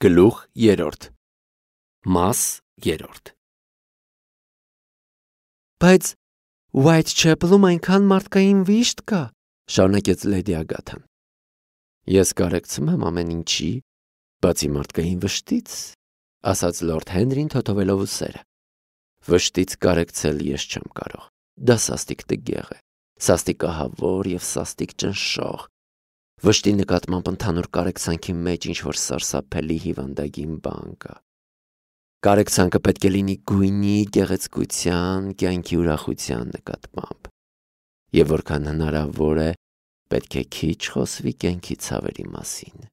Գլուխ 3 Մաս 3 Բայց Whitechapel-ում այնքան մարդկային վիշտ կա, շարունակեց Լեդի Ագաթան։ Ես կարեկցում եմ ամեն ինչի, բացի մարդկային վշտից, ասաց Լորդ Հենրին թոթովելով ուսերը։ Վշտից կարեկցել ես չեմ կարող։ Դա սաստիկ տգեղ է, սաստիկ ահավոր եւ սաստիկ ճնշող։ Վշտի նկատմամբ ընդհանուր կարեկցանքի մեջ ինչ-որ սարսափելի հիվանդագին բան կա։ Կարեկցանքը պետք է լինի գույնի, գեղեցկության, կյանքի ուրախության նկատմամբ։ Եվ որքան հնարավոր է, պետք է քիչ խոսվի կյանքի ցավերի մասին։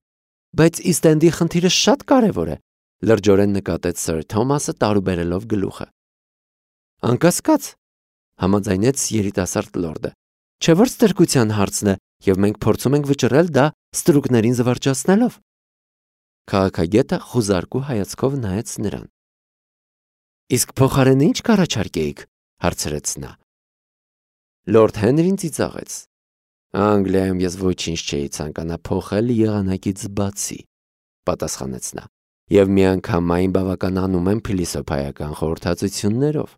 Բայց Իստ-Էնդի խնդիրը շատ կարևոր է, լրջորեն նկատեց Սըր Թոմասը տարուբերելով գլուխը։ Անկասկած, համաձայնեց երիտասարդ լորդը։ Չէ՞ որ ստրկության հարցն է, եւ մենք փորձում ենք վճռել դա ստրուկներին զվարճացնելով։ Քաղաքագետը խուզարկու հայացքով նայեց նրան։ Իսկ փոխարենը ինչ կառաջարկեիք, հարցրեց նա։ Լորդ Հենրին ծիծաղեց։ Անգլիայում ես ոչինչ չէի ցանկանա փոխել եղանակից բացի, պատասխանեց նա։ Եվ միանգամայն բավականանում եմ փիլիսոփայական խորհրդածություններով։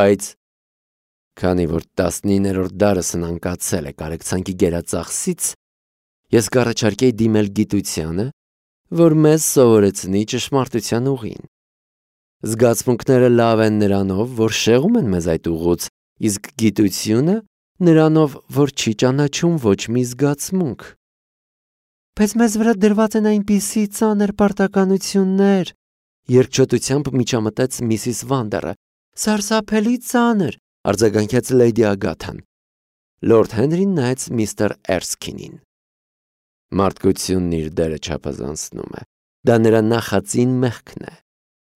Բայց քանի որ 19-րդ դարն անկացել է կարեկցանքի գերածախսից, ես կառաջարկեի դիմել գիտությանը, որ մեզ սովորեցնի ճշմարտության ուղին։ Զգացմունքները լավ են նրանով, որ շեղում են մեզ այդ ուղուց, իսկ գիտությունը նրանով, որ չի ճանաչում ոչ մի զգացմունք։ Բայց մեզ վրա դրված են այնպիսի ծանր պարտականություններ, երկչոտությամբ միջամտեց Միսիս Վանդերը։ Սարսափելի ծանր, արձագանքեց Լեյդի Ագաթան։ Լորդ Հենրին նայեց միստր Էրսքինին։ Մարդկությունն իր դերը չափազանցնում է։ Դա նրա նախածին մեղքն է։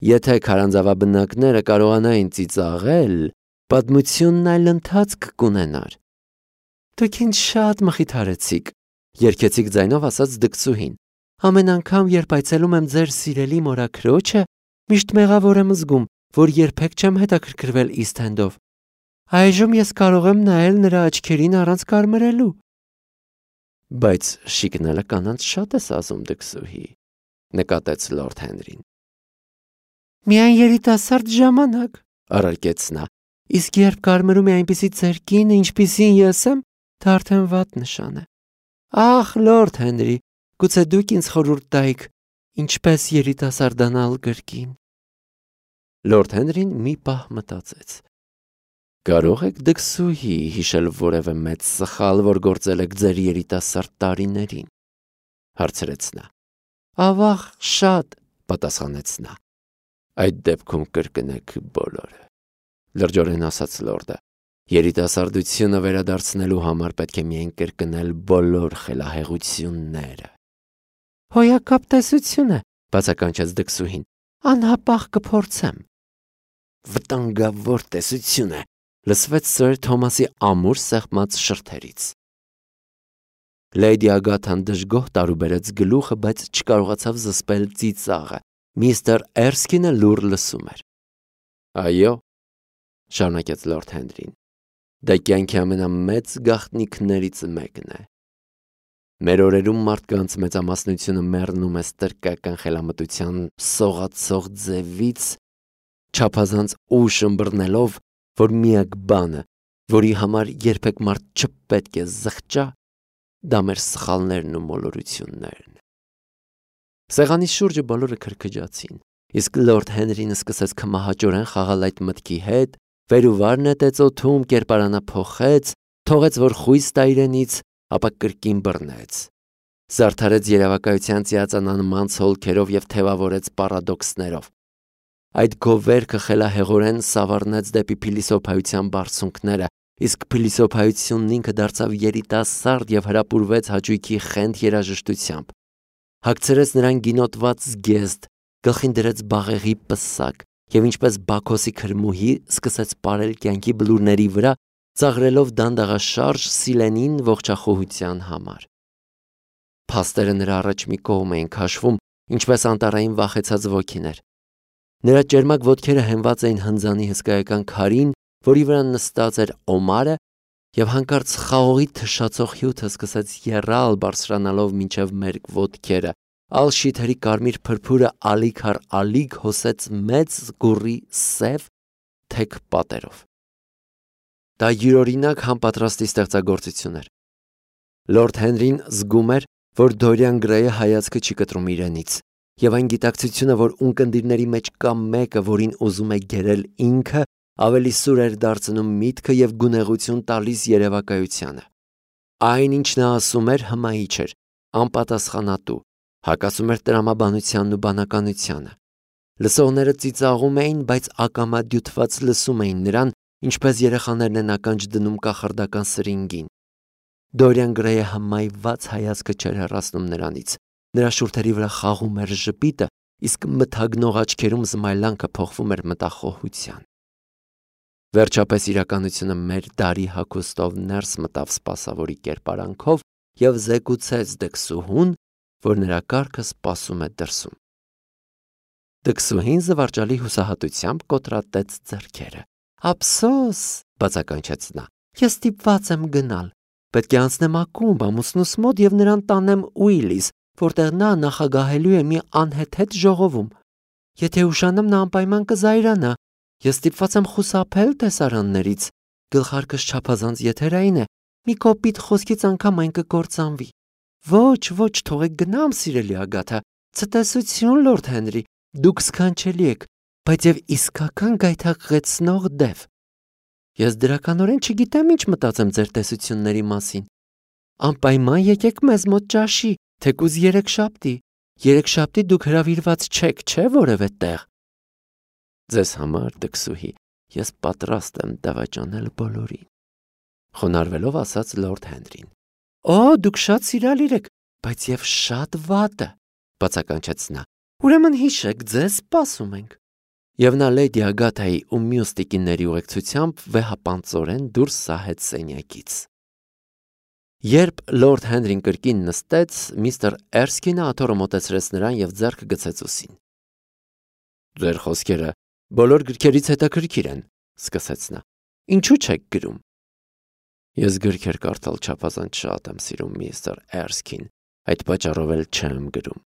Եթե քարանձավաբնակները կարողանային ծիծաղել, պատմությունն այլ ընթացք կունենար։ Դուք ինձ շատ մխիթարեցիք, երգեցիկ ձայնով ասաց դքսուհին։ Ամեն անգամ, երբ այցելում եմ ձեր սիրելի մորաքրոջը, միշտ մեղավոր եմ զգում, որ երբեք չեմ հետաքրքրվել Իստ-Էնդով։ Այժմ ես կարող եմ նայել նրա աչքերին առանց կարմրելու։ Բայց շիկնելը կանանց շատ է սազում դքսուհի, նկատեց Լորդ Հենրին։ Միայն երիտասարդ ժամանակ, առարկեց նա։ Իսկ երբ կարմրում է այնպիսի ծերկին, ինչպիսին ես եմ, դա արդեն վատ նշան է։ Ախ, Լորդ Հենրի, գուցե դուք ինձ խորհուրդ տայիք, ինչպես երիտասարդանալ կրկին։ Լորդ Հենրին մի պահ մտածեց։ Կարող եք դքսուհի հիշել որևէ մեծ սխալ, որ գործել եք ձեր երիտասարդ տարիներին, հարցրեց նա։ Ավաղ, շատ, պատասխանեց նա։ Այդ դեպքում կրկնեք բոլորը, լրջորեն ասաց լորդը։ Երիտասարդությունը վերադարձնելու համար պետք է միայն կրկնել բոլոր խելահեղությունները։ Հոյակապ տեսություն է, բացականչեց դքսուհին։ Անհապաղ կփորձեմ։ Վտանգավոր տեսություն է, լսվեց Սըր Թոմասի ամուր սեղմած շրթերից։ Լեյդի Ագաթան դժգոհ տարուբերեց գլուխը, բայց չկարողացավ զսպել ծիծաղը։ Միստր Էրսքինը լուռ լսում էր։ Այո, շարունակեց Լորդ Հենրին, դա կյանքի ամենամեծ գաղտնիքներից մեկն է։ Մեր օրերում մարդկանց մեծամասնությունը մեռնում է ստրկական խելամտության սողացող ձևից, չափազանց ուշ ըմբռնելով, որ միակ բանը, որի համար երբեք մարդ չպետք է զղջա, դա մեր սխալներն ու մոլորություններն։ Սեղանի շուրջը բոլորը քրքջացին, իսկ Լորդ Հենրին սկսեց քմահաճորեն խաղալ այդ մտքի հետ, վեր ու վար նետեց օդում, կերպարանափոխեց, թողեց, որ խույս տա իրենից, ապա կրկին բռնեց։ Զարդարեց երևակայության ծիածանանման ցոլքերով եւ թևավորեց պարադոքսներով։ Այդ գովերքը խելահեղորեն սավառնեց դեպի փիլիսոփայության բարձունքները, իսկ փիլիսոփայությունն ինքը դարձավ երիտասարդ եւ հրապուրվեց հաճույքի խենթ երաժշտությամբ։ Հագցրեց նրան գինոտված զգեստ, գլխին դրեց բաղեղի պսակ եւ ինչպես Բաքոսի քրմուհի սկսեց պարել կյանքի բլուրների վրա, ծաղրելով դանդաղաշարժ Սիլենին ողջախոհության համար։ Փաստերը նրա առաջ մի կողմ էին քաշվում, ինչպես անտառային վախեցած ոգիներ։ Նրա ճերմակ ոտքերը հենված էին հնձանի հսկայական քարին, որի վրա նստած էր Օմարը, եւ հանկարծ խաղողի թշացող հյութը սկսեց եռալ բարձրանալով մինչև մեր ոտքերը, ալշիթերի կարմիր փրփուրը ալիք առ ալիք հոսեց մեծ զգուռի սև թեք պատերով։ Դա յուրօրինակ համապատրաստի ստեղծագործություն էր։ Լորդ Հենրին զգում էր, որ Դորիան Գրեյը հայացքը չի կտրում իրենից, եւ այն գիտակցությունը, որ ունկնդիրների մեջ կա մեկը, որին ուզում է գերել ինքը, ավելի սուր էր դարձնում միտքը եւ գունեղություն տալիս երևակայությանը։ Այն, ինչ նա ասում էր, հմայիչ էր, անպատասխանատու, հակասում էր տրամաբանությանն ու բանականությանը։ Լսողները ծիծաղում էին, բայց ակամադյութված լսում էին նրան, ինչպես երեխաներն են ականջ դնում կախարդական սրինգին։ Դորիան Գրեյը հմայված հայացքը չէր հեռացնում նրանից։ Նրա շուրթերի վրա խաղում էր ժպիտը, իսկ մթագնող աչքերում զմայլանքը փոխվում էր մտախոհության։ Վերջապես իրականությունը մեր դարի հագուստով ներս մտավ սպասավորի կերպարանքով եւ զեկուցեց դքսուհուն, որ նրա կառքը սպասում է դրսում։ Դքսուհին զվարճալի հուսահատությամբ կոտրատեց ձեռքերը։ «Ափսոս», բացականչեց նա, «ես ստիպված եմ գնալ։ Պետք է անցնեմ ակումբ ամուսնուս մոտ եւ նրան տանեմ Ուիլիս, որտեղ նա նախագահելու է մի անհեթեթ ժողովում։ Եթե ուշանամ, նա անպայման կզայրանա։ Ես ստիպված եմ խուսափել տեսարաններից։ Գլխարկս չափազանց եթերային է, մի կոպիտ խոսքից անգամ այն կկործանվի։ Ոչ, թողեք գնամ, սիրելի Ագաթա։ Ցտեսություն, Լորդ Հենրի, դուք սքանչելի եք, բայց եւ իսկական գայթակղեցնող դև։ Ես դրականորեն չգիտեմ ինչ մտածեմ ձեր տեսությունների մասին։ Անպայման եկեք մեզ մոտ ճաշի, թեկուզ երեքշաբթի դուք հրավիրված չեք, չէ՞ որևէ տեղ։ Ձեզ համար, դքսուհի, ես պատրաստ եմ դավաճանել բոլորին, խոնարհվելով ասաց Լորդ Հենրին։ Օ, դուք շատ սիրալիր եք, բայց եւ շատ վատը, բացականչեց նա։ Ուրեմն հիշեք, ձեզ սպասում ենք։ Եվ նա Լեյդի Ագաթայի ու մյուս տիկինների ուղեկցությամբ վեհապանծորեն դուրս սահեց սենյակից։ Երբ Լորդ Հենրին կրկին նստեց, միստր Էրսքինը աթոռը մոտեցրեց նրան եւ ձեռքը գցեց ուսին։ Ձեր խոսքերը բոլոր գրքերից հետաքրքիր են, սկսեց նա։ Ինչու չեք գրում։ Ես գրքեր կարդալ չափազանց շատ եմ սիրում, միստր Էրսքին, այդ պատճառով էլ չեմ գրում։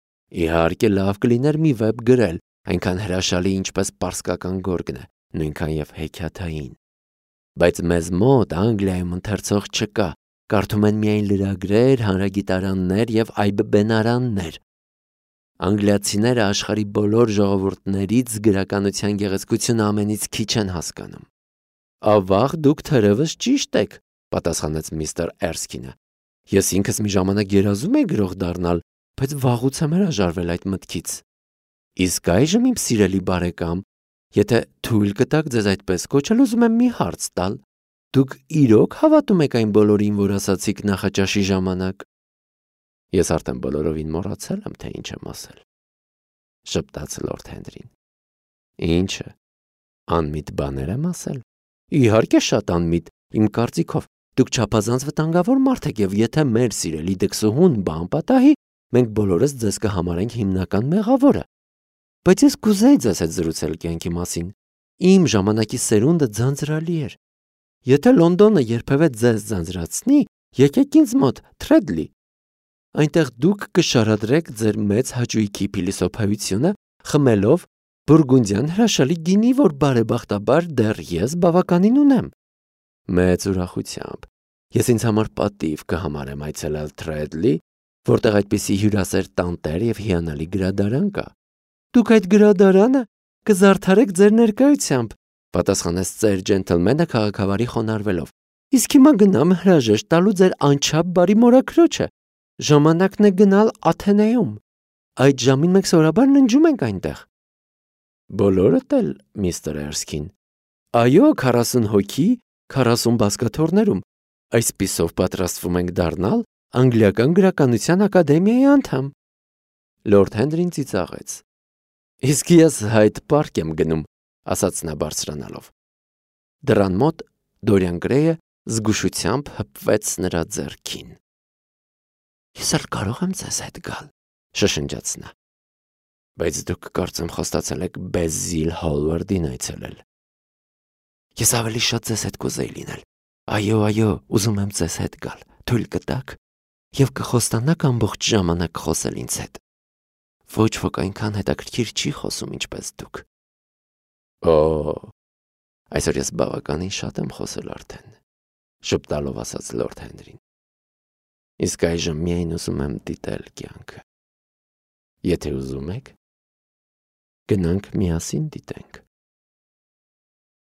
Իհարկե լավ կլիներ մի վեպ գրել, այնքան հրաշալի, ինչպես պարսկական գորգն է, նույնքան եւ հեքիաթային։ Բայց մեզ մոտ Անգլիայում ընթերցող չկա, կարդում են միայն լրագրեր, հանրագիտարաններ եւ այբբենարաններ։ Անգլիացիները աշխարհի բոլոր ժողովուրդներից գրականության գեղեցկությունը ամենից քիչ են հասկանում։ Ավաղ դուք թերևս ճիշտ եք, պատասխանեց միստր Էրսքինը։ Ես ինքս մի ժամանակ երազում եի գրող դառնալ, բայց վաղուց եմ հրաժարվել այդ մտքից։ Իսկ այժմ իմ սիրելի բարեկամ, եթե թույլ կտաք ձեզ այդպես կոչել, ուզում եմ մի հարց տալ։ Դուք իրոք հավատում եք այն բոլորին, որ ասացիք նախաճաշի ժամանակ։ Ես արդեն բոլորովին մոռացել եմ, թե ինչ եմ ասել, շպտաց Լորդ Հենրին։ Ինչը, անմիտ բաներ եմ ասել։ Իհարկե շատ անմիտ, իմ կարծիքով, դուք չափազանց վտանգավոր մարդ եք եւ եթե մեր սիրելի դքսուհուն բան պատահի, մենք բոլորս ձեզ կհամարենք հիմնական մեղավորը։ Բայց ես կուզեի ձեզ հետ զրուցել կյանքի մասին։ Իմ ժամանակի սերունդը ձանձրալի էր։ Եթե Լոնդոնը երբևէ ձեզ ձանձրացնի, եկեք ինձ մոտ, Թրեդլի։ Այնտեղ դուք կշարադրեք ձեր մեծ հաճույքի փիլիսոփայությունը, խմելով բուրգունդյան հրաշալի գինի, որ բարեբախտաբար դեռ ես բավականին ունեմ։ Մեծ ուրախությամբ։ Ես ինձ համար պատիվ կհամարեմ այցելել Թրեդլի, որտեղ այդպիսի հյուրասեր տանտեր եւ հիանալի գրադարան կա։ Դուք այդ գրադարանը կզարդարեք ձեր ներկայությամբ, պատասխանեց ծեր ջենթլմենը քաղաքավարի խոնարհվելով։ Իսկ հիմա գնամ հրաժեշտ տալու ձեր անչափ բարի մորաքրոջը։ Ժամանակն է գնալ Աթենեում։ Այդ ժամին մենք սովորաբար ննջում ենք այնտեղ։ Բոլորդ էլ, միստր Էրսքին։ Այո, 40 հոգի, 40 բազկաթոռներում։ Այսպիսով պատրաստվում ենք դառնալ Անգլիական գրականության ակադեմիայի անդամ։ Լորդ Հենրին ծիծաղեց։ Իսկ ես Հայդ Պարկ եմ գնում, ասաց նա բարձրանալով։ Դռան մոտ Դորիան Գրեյը զգուշությամբ հպվեց նրա ձեռքին։ Ես էլ կարող եմ ձեզ հետ գալ, շշնջաց նա։ Բայց դուք կարծեմ խոստացել եք Բեզիլ Հոլվարդին այցելել։ Ես ավելի շատ ձեզ հետ կուզեի լինել։ Այո, ուզում եմ ձեզ հետ գալ, թույլ կտաք, եւ կխոստանաք ամբողջ ժամանակ խոսել ինձ հետ։ Ոչ ոք այնքան հետաքրքիր չի խոսում, ինչպես դուք։ Օ, այսօր ես բավականին շատ եմ խոսել արդեն, շփտալով ասաց Լորդ Հենրին։ Իսկ այժմ միայն ուզում եմ դիտել կյանքը։ Եթե ուզում եք, գնանք միասին դիտենք։